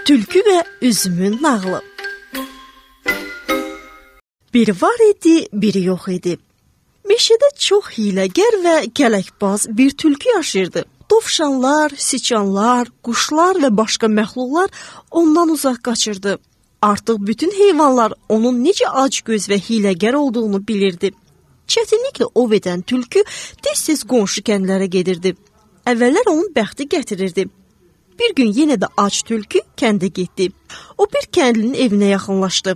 Tülkü və üzümün nağılı. Biri var idi, biri yox idi. Meşədə çox hiləgər və kələkbaz bir tülkü yaşayırdı. Dovşanlar, siçanlar, quşlar və başqa məxluqlar ondan uzaq qaçırdı. Artıq bütün heyvanlar onun necə acgöz və hiləgər olduğunu bilirdi. Çətinliklə ov edən tülkü tez-tez qonşu kəndlərə gedirdi. Əvvəllər onun bəxti gətirirdi. Bir gün yenə də ac tülkü kəndə getdi. O bir kəndlinin evinə yaxınlaşdı.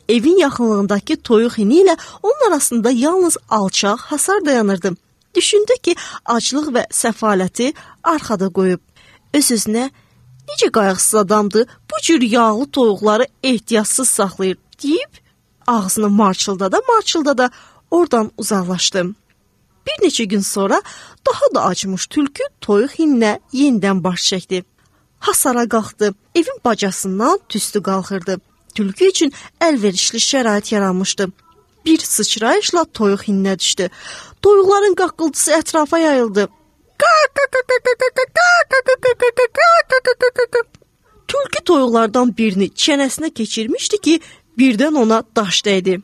Evin yaxınlığındakı toyuq hini ilə onun arasında yalnız alçaq hasar dayanırdı. Düşündü ki, aclıq və səfaləti arxada qoyub. Öz-özünə, necə qayğısız adamdır, bu cür yağlı toyuqları ehtiyatsız saxlayır, deyib, ağzını marçıldada oradan uzaqlaşdı. Bir neçə gün sonra daha da acmış tülkü toyuq hininə yenidən baş çəkdi. Hasara qalxdı, evin bacasından tüstü qalxırdı. Tülkü üçün əlverişli şərait yaranmışdı. Bir sıçrayışla toyuq hininə düşdü. Toyuqların qaqqıltısı ətrafa yayıldı. Tülkü toyuqlardan birini çənəsinə keçirmişdi ki, birdən ona daş dəydi.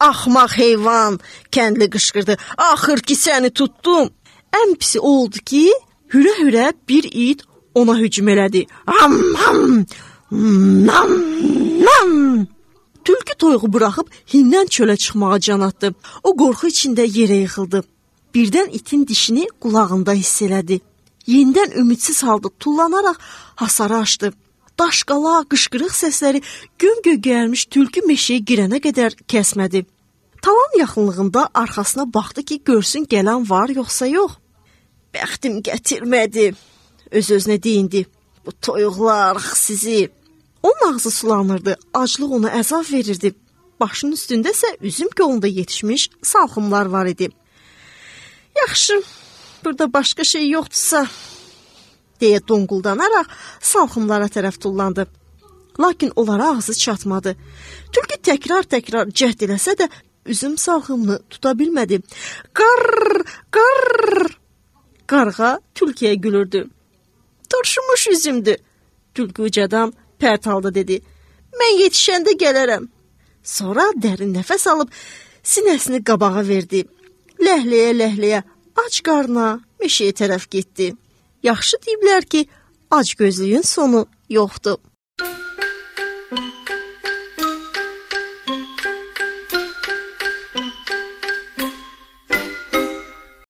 Axmaq heyvan, kəndli qışqırdı. Axır ki səni tutdum. Ən pisi oldu ki, hürə-hürə bir it ona hücum elədi. Ham ham, nam nam. Tülkü toyuğu buraxıb hindən çölə çıxmağa can atdı. O qorxu içində yerə yıxıldı. Birdən itin dişini qulağında hiss elədi. Yenidən ümidsiz halda tullanaraq hasarı açdı. Daşqala, qışqırıq səsləri göm-gögərmiş tülkü meşəyə girənə qədər kəsmədi. Tavan yaxınlığında arxasına baxdı ki, görsün gələn var yoxsa yox. Bəxtim gətirmədi. Öz-özünə deyindi. Bu toyuqlar sizi. Onun ağzı sulanırdı, aclıq ona əzab verirdi. Başının üstündə isə üzüm kolunda yetişmiş salxımlar var idi. Yaxşı, burada başqa şey yoxdursa, deyə donquldanaraq salxımlara tərəf tullandı. Lakin onlara ağzı çatmadı. Tülkü təkrar cəhd eləsə də üzüm salxımını tuta bilmədi. Qarr, qarr. Qarğa tülküyə gülürdü. Turşumuş üzümdür. Tülkü ucadan pərt halda dedi. Mən yetişəndə gələrəm. Sonra dərin nəfəs alıb sinəsini qabağa verdi. Ləhləyə ac qarna meşəyə tərəf getdi. Yaxşı deyiblər ki, ac gözlüyün sonu yoxdur.